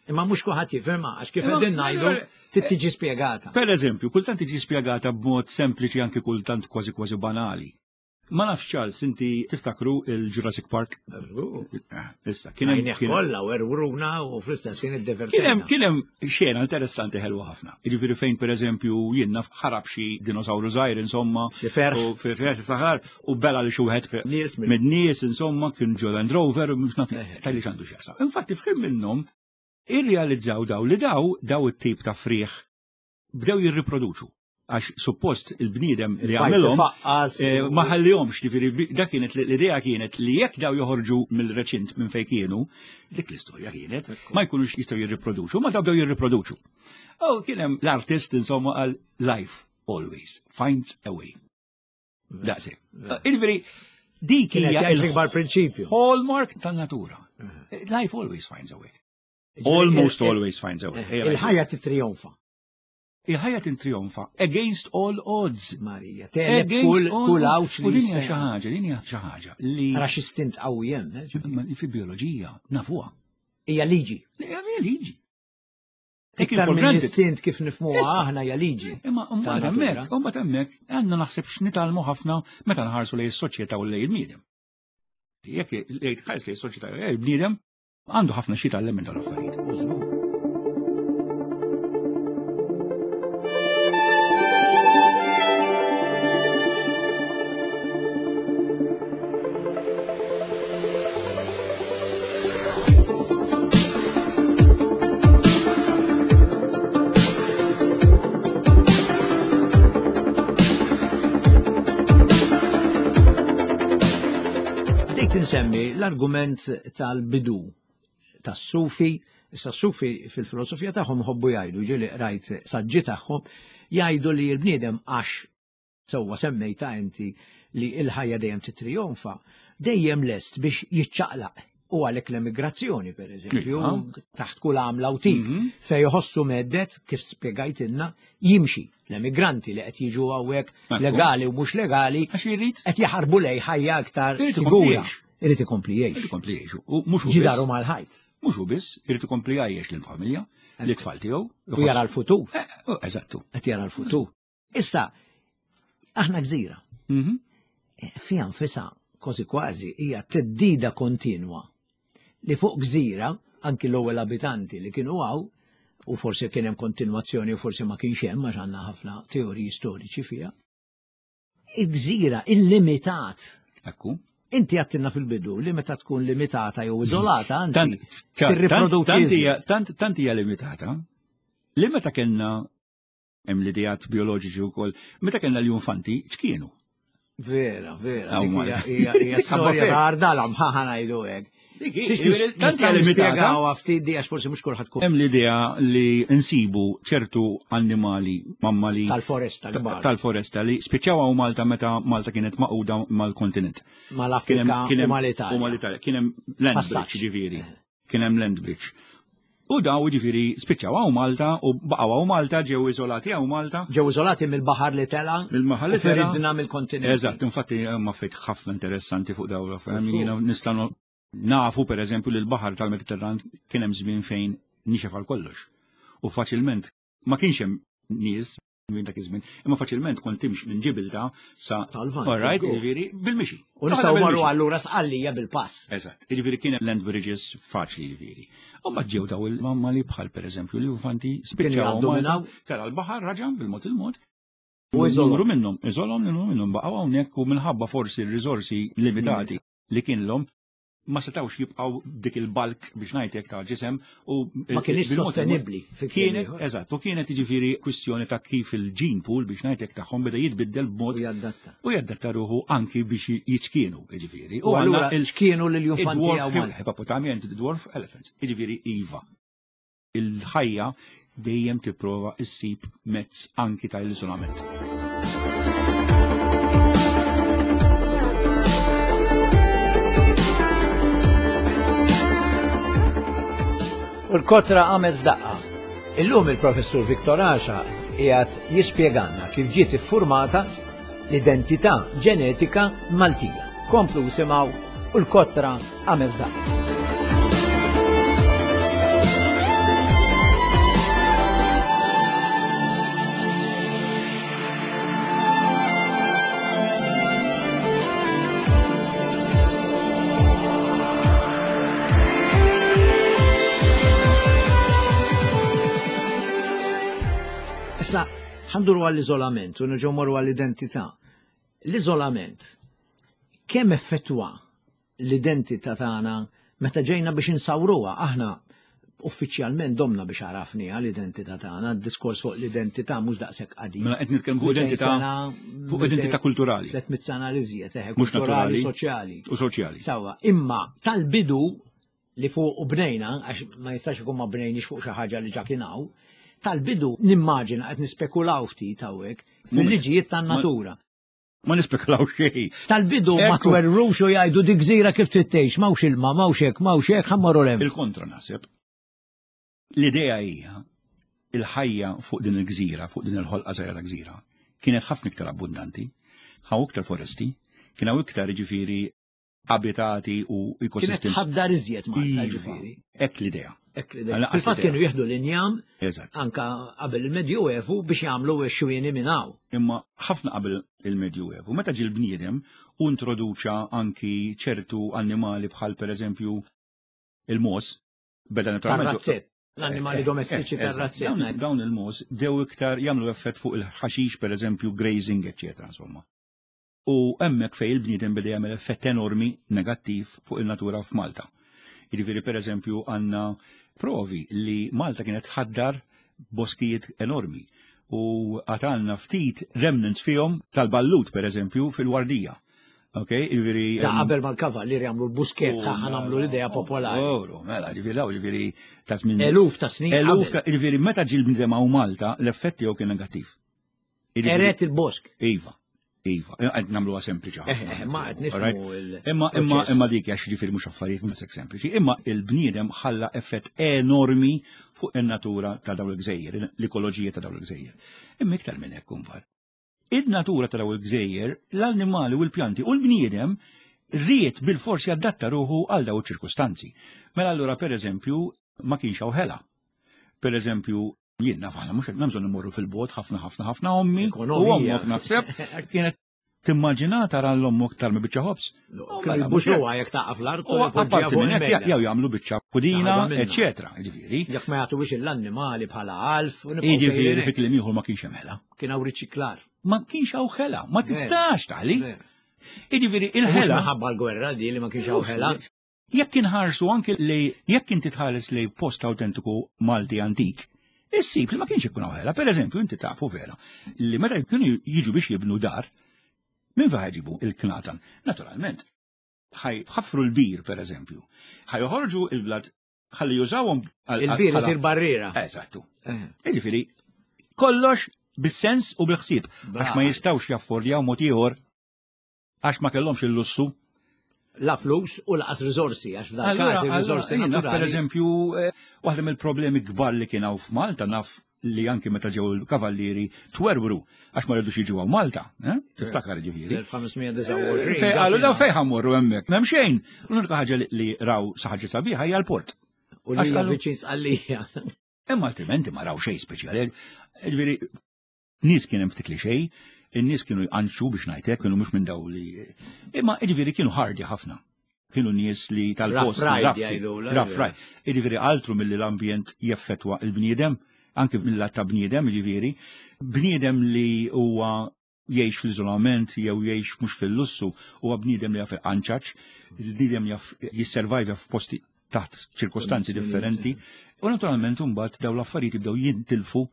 Imma mhux kulħadd jifhimha għax kif qegħdin ngħidu trid tiġi spjegata. Per eżempju, kultant tiġi spjegata b'mod sempliċi anki kultant kważi kważi banali. Ma nafx Charles, inti tiftakru il-Jurassic Park? Eh, issa, kien hemm kollha u erwruna u fl-istess kien iddevertejna. Kien hemm xena interessanti ħelwa ħafna. Jiġifieri fejn pereżempju jien naf ħarab xi dinosawru żgħir insomma. Xi ferħ. U ferħ saħar u bela li xi wieħed minn nies insomma kien ġo Land Rover u mhux naf eh. tal-li x'għandu x'jaqsam. Infatti f'ħin minnhom irrealizzaw daw li daw daw it-tip ta' frieħ bdew jirriproduċu għax suppost il-bniedem li għamilhom eh, ma ħallihomx ġifieri dak kienet l-idea kienet li jekk daw joħorġu mill-reċint minn fejn kienu, dik l-istorja kienet, ma jkunux jistgħu jirriproduċu, ma daw bdew jirriproduċu. U kien hemm l-artist insomma għal life always finds a way. Daqsi. Il-veri, dik hija l-ikbar prinċipju. Hallmark tan-natura. Life always finds a way. Almost always finds a way. Il-ħajja titrionfa. Il-ħajja tintrionfa against all odds. Marija, teleb kull kull għawx li. U din hija xi ħaġa, din hija xi ħaġa li. Ra xi stint qawwi hemm. Eh, fi bioloġija nafuha. Hija liġi. Hija liġi. Iktar minn istint kif nifmuha aħna hija liġi. Imma mbagħad hemmhekk, mbagħad hemmhekk għandna naħseb x'nitgħallmu ħafna meta nħarsu lejn is-soċjetà u lejn il-bniedem. Jekk tħares lejn is-soċjetà u lejn il-bniedem, għandu ħafna xi jitgħallem minn dawn l-affarijiet. Bdejt insemmi l-argument tal-bidu tas-sufi, issa s-sufi fil-filosofija tagħhom ħobbu jgħidu, ġieli qrajt saġġi tagħhom, jgħidu li l-bniedem għax sewwa semmejta inti li l-ħajja dejjem titrionfa, dejjem lest biex jiċċaqlaq u għalhekk l-emigrazzjoni per eżempju, taħt kull għamla u tip, mhm. fej jħossu meddet, kif spjegajtilna, jimxi. L-emigranti li qed jiġu hawnhekk legali u mhux legali qed jaħarbu lej ħajja aktar sigura. Irid ikompli jgħix. Irid ikompli jgħix. U mhux ġidaru mal-ħajt. Mhux hu biss, irid ikompli jgħix lill-familja, l-tfal tiegħu. U jara l-futur. Eh, oh, eżattu. Qed jara l-futur. Issa, aħna gżira. Mhm. Eh, fija nfisa, kważi kważi, hija teddida kontinwa li fuq gżira, anki l-ewwel abitanti li kienu għaw, u forsi kien hemm kontinwazzjoni u forsi ma kienx hemm għax għandna ħafna teoriji storiċi fiha. Il-gżira illimitat. Ekku. Inti għattinna fil-bidu li meta tkun limitata jew iżolata, anzi tirriproduċi. Tant hija limitata li meta kellna Hemm l-ideat bioloġiċi wkoll. Meta kellna l-infanti, x'kienu? Vera, vera. Hija storja ta' ardala mħaħa ngħidu hekk. Nispjegaw ftit di għax forsi mhux kulħadd kull. Hemm l-idea li nsibu ċertu annimali mammali tal-foresta tal-foresta li spiċċaw hawn Malta meta Malta kienet maquda mal-kontinent. Mal-Afrika u mal-Italja. U mal-Italja. Kien hemm land bridge ġifieri. Eh. Kien hemm land bridge. U daw ġifieri spiċċaw hawn Malta u baqgħu hawn Malta, ġew iżolati hawn Malta. Ġew iżolati mill-baħar li tela. Mill-baħar li tela. Feridna mill-kontinent. Eżatt, infatti ma fejt ħafna interessanti fuq daw l-affarijiet. Nistgħu nafu pereżempju li l-baħar tal-Mediterran kien hemm żmien fejn nixef għal kollox. U faċilment ma kienx hemm nies minn dak iż-żmien, imma faċilment kont timx minn Ġibilta sa Tal-Lvant. All right, jiġifieri bil-mixi. U nistgħu marru allura sqallija bil-pass. Eżatt, jiġifieri kien land bridges faċli jiġifieri. U mbagħad ġew daw il-mammali bħal pereżempju l-infanti spiċċaw tara l-baħar raġa' bil-mod il-mod. U Numru minnhom, iżolhom numru minnhom baqgħu hawnhekk u minħabba forsi r-riżorsi limitati li kienlhom ma setawx jibqgħu dik il-balk biex ngħidlek ta' ġisem u ma kienx sostenibbli. Kienet, eżatt, u kienet jiġifieri kwistjoni ta' kif il-gene pool biex ngħidlek tagħhom beda jitbiddel b'mod u jaddatta. U jaddatta ruħu anki biex jiċkienu, jiġifieri. U allura ċkienu lil jufanti hawn. Hippopotami and the dwarf elephants. Jiġifieri iva. Il-ħajja dejjem tipprova issib mezz anki ta' iżolament. U l-kotra għamet f'daqqa. Illum il-professur Viktor Asha qiegħed jispjegalna kif ġiet iffurmata l-identità ġenetika Maltija. Komplu simgħu u l-kotra għamel f'daqqa. Issa, ħanduru għall-iżolament u nerġgħu morru għall-identità. L-iżolament kemm effettwa l-identità tagħna meta ġejna biex insawruha aħna uffiċjalment domna biex għarafniha l-identità tagħna, d-diskors fuq l-identità mhux daqshekk qadim. Mela qed nitkellmu fuq identità fuq identità kulturali. 300 sena li żjed, eħe, Mhux kulturali, naturali. soċjali. U soċjali. Sawa, imma tal-bidu li fuq u bnejna, għax ma jistax ikun ma bnejniex fuq xi ħaġa li ġa kien hawn, tal-bidu nimmaġina qed nispekulaw ftit hawnhekk fil-liġijiet tan-natura. Ma nispekulaw xejn. Tal-bidu ma Ekku. twerrux u jgħidu dik gżira kif trid tgħix, m'hawnx ilma, m'hawnx hekk, m'hawnx hekk, ħammorru l hemm. Il-kontra naħseb. L-idea hija il-ħajja fuq din il-gżira, fuq din il-ħolqa żgħira ta' gżira, kienet ħafna iktar abbundanti, hawn iktar foresti, kien hawn iktar ġifieri abitati u Kienet ekosistemi. tħaddar iżjed Malta Iva. ġifieri. Hekk l-idea. Hekk l-idea. Għal-anqas Fil-fatt l-idea. kienu jieħdu l-injam Eżatt. anka qabel il-Medjuevu biex jagħmlu x-xwieni minn hawn. Imma ħafna qabel il-Medjuevu, meta ġie l-bniedem u introduċa anki ċertu annimali bħal pereżempju il-mos, beda naturalment. Tar-razzett. L-annimali domestiċi Eh, eh, tar-razzett. Dawn, dawn il-mos dew iktar jagħmlu effett fuq il-ħaxix pereżempju grazing, eċetera, insomma. U hemmhekk fejn il-bniedem beda jagħmel effett enormi negattiv fuq il-natura f'Malta. Jiġifieri pereżempju għandna provi li Malta kienet tħaddar boskijiet enormi u għatanna ftit remnants fihom tal-ballut pereżempju fil-wardija. Ok, jiġifieri Da qabel mal-kavallieri jagħmlu l-buskett Oh, ħa nagħmlu l-idea popolari. Oru, mela, ġifieri daw, ġifieri ta' żmien Eluf ta' snin. Eluf qabel. ta' ġifieri meta ġie l-bniedem hawn Malta, l-effett tiegħu kien negattiv. Jiġifieri- Eret il-bosk. Iva, iva, qed nagħmluha sempliċi Eh, ħafna. eh, ma qed nifhmu Alright? il- Imma imma proċess. imma dik għax ġifieri mhux affarijiet mhux hekk sempliċi, imma il-bniedem ħalla effett enormi fuq in-natura ta' dawn il-gżejjer, l-ekoloġija ta' dawn il-gżejjer. Imma iktar minn hekk imbagħad. Id-natura ta' dawn il-gżejjer, l-annimali u l-pjanti u l-bniedem ried bil-forsi adatta ruħu għal dawn iċ-ċirkustanzi. Mela allura pereżempju ma kienx hawn ħela. Per eżempju, jien naf aħna mhux qed nagħmlu immorru fil-bot ħafna ħafna ħafna ommi u Ekonomija. ommok naħseb kienet timmaġina tara l-ommok tarmi biċċa ħobż. Kienu mela, jbuxuha jekk taqa' fl-art U u jpoġġiha apparti fuq minn hekk il-mejda. jew jagħmlu biċċa pudina, Xi ħaġa minnha. eċetera, jiġifieri. Jekk ma jagħtuwix l-annimali bħala għalf, u nibqgħu Jiġifieri sejrin fi hekk. kliem ieħor ma kienx hemm ħela. Kien hawn riċiklar. Ma kienx hawn ħela, ma tistax taħli. Ver. Jiġifieri Mhux il-ħela minħabba l-gwerra di li ma kienx hawn ħela. Jekk inħarsu anke li jekk inti tħares li post autentiku Malti antik, issib li ma kienx ikun hawn ħela. Per eżempju, inti tafu vera li meta kienu jiġu biex jibnu dar, minn fejn ħajġibu il-knatan? Naturalment, ħaj ħaffru l-bir, per eżempju. Ħaj joħorġu il-blad ħalli jużawhom għal- Il-bir bħala- isir barriera. Eżattu. Eh. Jiġifieri, kollox bis-sens u bil-ħsieb, għax ma Brava. jistgħux jaffordjaw mod ieħor għax ma kellhomx il-lussu La flus u laqas riżorsi, għax f'dal Allura, każ ir-riżorsi allura, jien naf per naturali. eżempju, eh, waħda mill-problemi kbar li kien hawn f'Malta naf li anki meta ġew il-kavallieri twerwru għax ma rridux jiġu hawn Malta, eh? Tiftakar ġifieri. Fl-1529. Fej qalu daw fejn ħammorru hemmhekk, m'hemm xejn. L-unika ħaġa li- li raw sa ħaġa sabiħa hija l-port. U li Għax hija qalu- viċin sqallija. Imma altrimenti ma raw xejn speċjali. Ġifieri nies kien hemm ftit li xejn, in-nies kienu jqanxu biex ngħidlek, kienu mhux minn daw li. Imma ġifieri kienu ħardi ħafna. Kienu nies li tal-post. Rough ride raffi, jgħidu, la, Rough vera. ride. Jiġifieri altru milli l-ambjent jeffettwa il-bniedem. Anki mill-lat ta' bniedem, ġifieri, bniedem li huwa jgħix fl-iżolament jew jgħix mhux fil-lussu huwa bniedem li jaf il-qanċaċ, bniedem jaf jisservajvja f'posti taħt ċirkostanzi differenti. U naturalment imbagħad dawn l-affarijiet jibdew jintilfu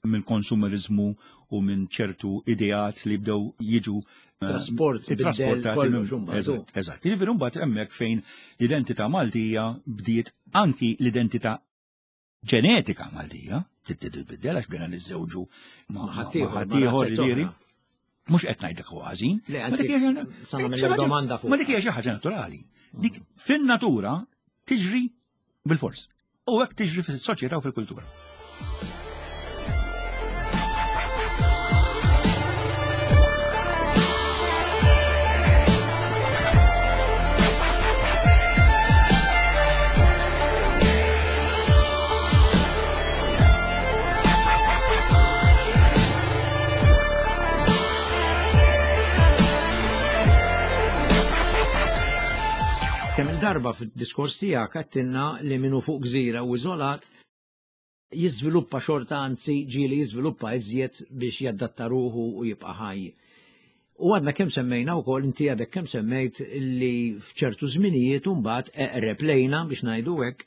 minn konsumerizmu u minn ċertu ideat li bdew jiġu eh, trasport trasportati Eżatt, eżatt. Jiġifieri mbagħad hemmhekk fejn l-identità Maltija bdiet anki l-identità ġenetika Maltija, titbiddel għax bdejna niżżewġu ma' ħaddieħor ġifieri. Mhux qed ngħidlek huwa ħażin. domanda fuq. Ma dik hija xi ħaġa naturali. Dik fin-natura tiġri bil-fors. U hekk tiġri fis-soċjetà u fil-kultura. Kemm il-darba fid-diskors tiegħek għedtilna li minnu fuq gżira u iżolat jiżviluppa xorta anzi ġieli jiżviluppa iżjed biex jadatta ruħu u jibqa' ħaj. U għadna kemm semmejna wkoll inti għadek kemm semmejt li f'ċertu żminijiet mbagħad eqreb lejna biex ngħidu hekk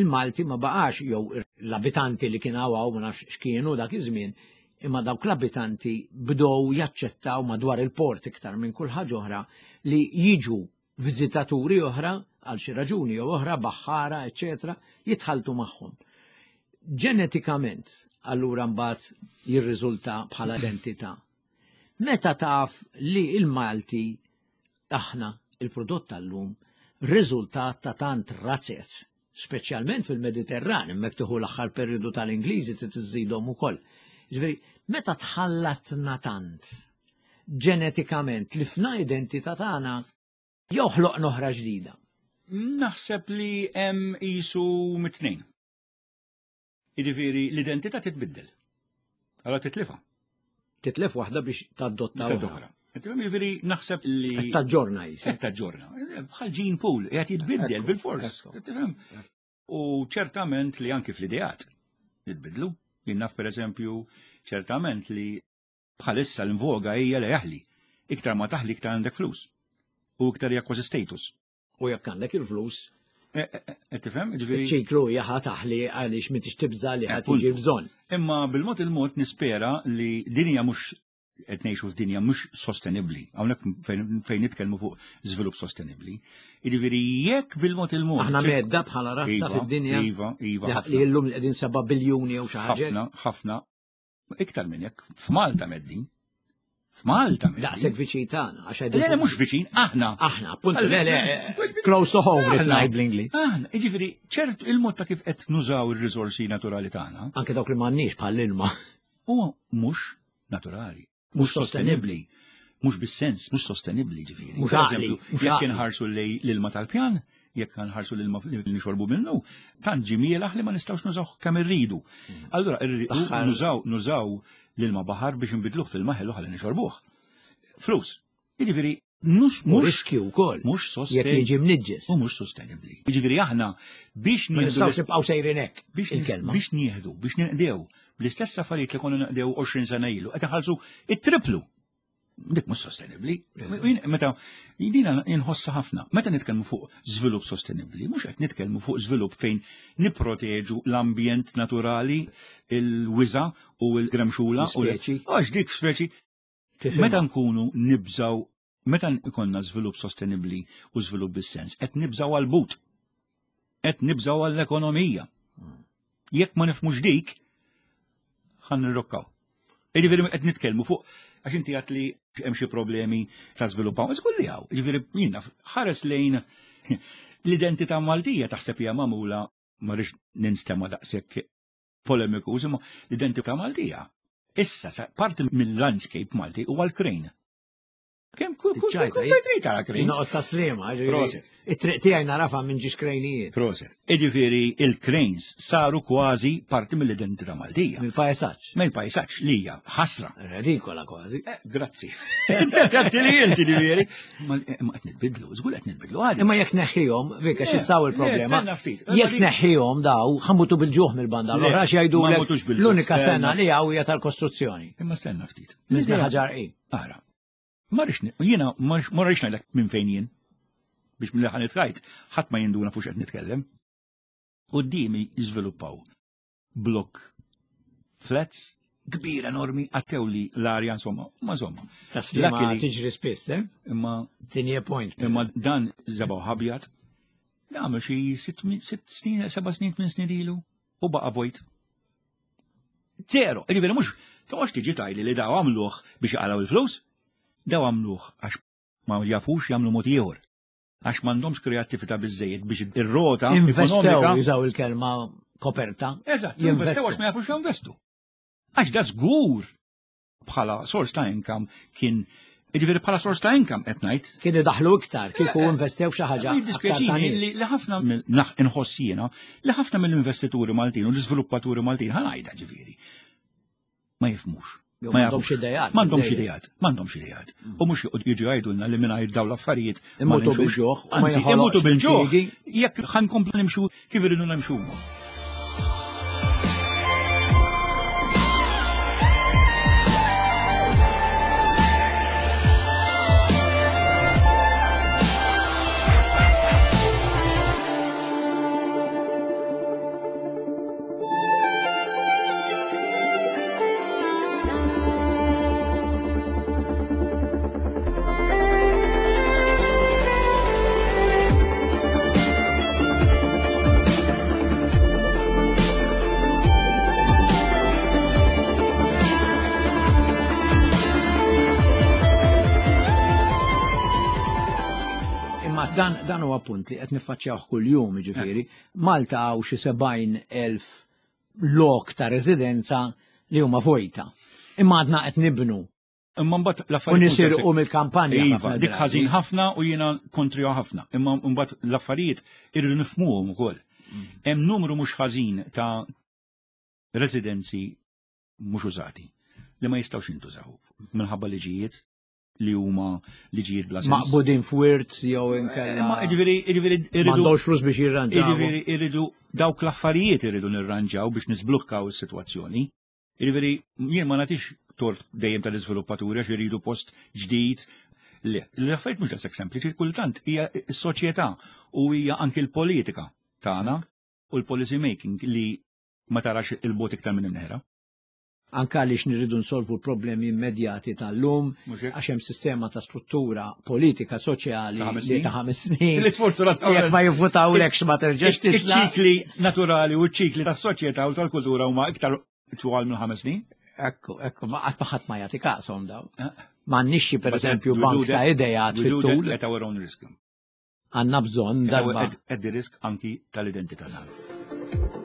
il-Malti ma baqax jew l-abitanti li kien hawn ma nafx x'kienu dak iż-żmien, imma dawk l-abitanti bdew jaċċettaw madwar il-port iktar minn kull ħaġa oħra li jiġu viżitaturi oħra għal xi raġuni jew oħra, baħħara, eċetera, jitħaltu magħhom. Ġenetikament, allura mbagħad jirriżulta bħala identità. Meta taf li il-Malti aħna il-prodott tal-lum riżultat ta' tant razzez, speċjalment fil-Mediterran, hemmhekk tieħu l-aħħar perjodu tal-Ingliżi trid iżżidhom ukoll. Ġifieri, meta tħallatna tant ġenetikament li fna identità tagħna jew ħloqna oħra ġdida? Naħseb li hemm qisu mit-tnejn. Jiġifieri l-identità titbiddel. Allora titlifha. Titlef waħda biex tadotta oħra. Jiġifieri naħseb li. Taġġorna jisek. Taġġorna. Bħal gene pool, qiegħed jitbiddel bil-fors. U ċertament li anki fl-ideat jitbidlu. Jien naf pereżempju ċertament li bħalissa l-invoga hija li jaħli. Iktar ma taħli iktar għandek flus. U iktar hija kważi status. U jekk għandek il-flus, eh, eh, eh, Tifhem? Ġifieri. ċiklu hija ħa taħli għaliex m'intix tibża li ħa tiġi bżonn. Imma bil-mod il-mod nispera li dinja mhux qed ngħixu f'dinja mhux sostenibbli. Hawnhekk fejn nitkellmu fuq żvilupp sostenibbli. Jiġifieri jekk bil-mod il-mod. Aħna medda bħala razza iva, fid-dinja. Iva, iva. Li llum li qegħdin 7 biljuni jew xi ħaġa. Ħafna, ħafna. Iktar minn hekk, f'Malta meddin. F'Malta meddin. Daqshekk viċin tagħna, għax Le, le, mhux viċin, aħna. Aħna, appuntu, le, le, close to home, qed ngħid bl-Ingliż. Aħna, jiġifieri ċert il-mod ta' kif qed nużaw ir-riżorsi naturali tagħna. Anke dawk li m'għandniex bħall-ilma. Huwa mhux naturali. Mhux sostenibbli. Mhux bis-sens, mhux sostenibbli ġifieri. Mhux għaqli. Jekk inħarsu lej l-ilma tal-pjan, jekk nħarsu l-ilma li nixorbu minnu, tant ġie mielaħ li ma nistgħux nużawh kemm irridu. Mm. Allura irridu nużaw nużaw l-ilma baħar biex nbidluh fil-ma ħelu ħalli nixorbuh. Flus. Jiġifieri Mhux mhux riskju wkoll. Mhux sostenibbli. Jekk jiġi mniġġes. U mhux sostenibbli. Jiġifieri aħna biex nieħdu. Nistgħu nibqgħu sejrin hekk. Biex il-kelma. Biex nieħdu, biex ninqdew bl-istess affarijiet li konna naqdew 20 sena ilu, qed inħallsu it-triplu. Dik mhux sostenibbli. Meta dina inħossa ħafna. Meta nitkellmu fuq żvilupp sostenibbli, mhux qed nitkellmu fuq żvilupp fejn nipproteġu l-ambjent naturali, il-wiża u l-gremxula u l-speċi. Għax dik speċi Meta nkunu nibżaw, meta ikonna żvilupp sostenibbli u żvilupp bis-sens, qed nibżaw għall-but. Qed nibżaw għall-ekonomija. Jekk ma nifhmux dik, ħan nirrokkaw. Jiġifieri qed nitkellmu fuq għax inti għat li hemm xi problemi ta' żvilupp hawn. Żgur li hawn. Jiġifieri jiena ħares lejn l-identità Maltija taħseb hija magħmula ma rridx ninstema' daqshekk polemiku, imma l-identità Maltija. Issa, parti mill-landscape Malti huwa l-krejn. Kemm kull kull kull trid tara cranes. Noqgħod ta' sliema, it-triq tiegħi narafa minn ġiex krejnijiet. Proset. Iġifieri il-cranes saru kważi parti mill-identità Maltija. Mill-pajsaġġ. Mill-pajsaġġ li hija ħasra. Redikola kważi. Eh, grazzi. Grazzi li inti ġifieri. Ma eh, qed nitbidlu, żgur qed nitbidlu għadi. Imma jekk neħħihom, vika x'issaw il-problema. Jekk neħħihom daw, ħamutu bil-ġuħ mill-banda l-oħra jgħidu l-unika sena li hawn hija tal-kostruzzjoni. Imma stenna ftit. Nisma ħaġar Ara, Ma rridx jiena ma rridx ngħidlek minn fejn jien. Biex mill ħan trajt, ħadd ma jinduna fuq qed nitkellem. Quddiemi jiżviluppaw blok flats kbir enormi għattew li l-arja insomma, ma insomma. Taslima tiġri spiss, eh? Imma tinje point. Imma dan żebaw ħabjat. Għamel xi sitt snin, seba' snin, tmien snin ilu u baqa' vojt. Zero, jiġifieri mhux toqgħodx tiġi tgħidli li daw għamluh biex jaqalgħu il-flus, daw għamluh għax ma jafux jagħmlu mod ieħor. Għax m'għandhomx kreattività biżejjed biex ir-rota Investew jużaw il-kelma koperta. Eżatt, jinvestew għax ma jafux jinvestu. Għax da żgur bħala sors ta' income kien Jiġifieri bħala sors ta' income qed ngħid. Kienu daħlu iktar kieku eh, eh, investew xi ħaġa. Jiddispjaċini li ħafna inħoss jiena li ħafna mill-investituri Maltin u l-iżviluppaturi Maltin ħa ngħidha ġifieri. Ma jifhmux. Ma jafux idejat. M'għandhomx idejat, m'għandhomx idejat. U mhux jiġu jgħidulna li mingħajr dawn l-affarijiet. Imutu bil-ġuħ. Anzi, imutu bil-ġuħ. Jekk ħankomplu nimxu kif iridu nimxu. Imma dan dan huwa punt li qed niffaċċjawh kuljum, jiġifieri, Malta hawn xi 70,000 lok ta' residenza li huma vojta. Imma għadna qed nibnu. Imma mbagħad l-affarijiet. U nisirqu mill-kampanja. Iva, dik ħażin ħafna u jiena kontrija ħafna. Imma mbagħad l-affarijiet irridu nifhmuhom ukoll. Mm. Hemm numru mhux ħażin ta' residenzi mhux użati li ma jistgħux jintużaw minħabba liġijiet li huma liġijiet bla sens. Maqbudin f'wirt jew inkella. Eh, ma jiġifieri jiġifieri irridu. M'għandhomx flus biex jirranġaw. Jiġifieri irridu dawk l-affarijiet irridu nirranġaw biex nisblukkaw is-sitwazzjoni. Jiġifieri jien ma nagħtix tort dejjem tal-iżviluppaturi għax iridu post ġdid. Le, l-affarijiet mhux daqshekk sempliċi, kultant hija s-soċjetà u hija anki l-politika tagħna u l-policy making li ma tarax il-bot iktar minn imneħra. Anke għaliex nirridu nsolvu l-problemi immedjati tal-lum, għax hemm sistema ta' struttura politika soċjali li ta' ħames snin. Li sfortunatament. Jekk ma jivvutawlekx ma terġax titla'. Iċ-ċikli naturali u ċ-ċikli tas-soċjetà u tal-kultura huma iktar twal minn ħames snin. Ekku, ekku, ma qatt ma ħadd ma jagħti kashom daw. Eh. M'għandniex per eżempju bank ta' idejat fit-tul. At our own risk. Għandna bżonn darba. At the risk anki tal-identità tagħna.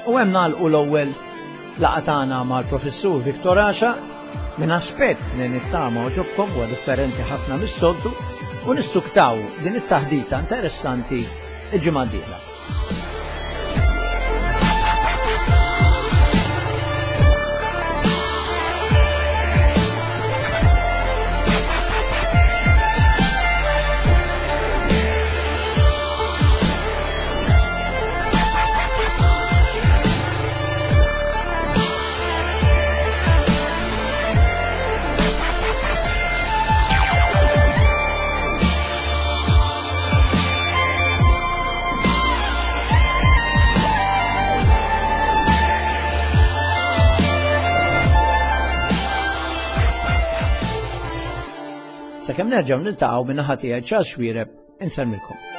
U hemm nagħlqu l-ewwel laqgħa tagħna mal-Professur Victor Asha minn aspett li nittama oġobkom huwa differenti ħafna mis-soltu u nissuktaw din it-taħdita interessanti il-ġimgħa d-dieħla. Sakemm nerġgħu niltaqgħu minn naħa tiegħi Charles Xuereb insellmilkom.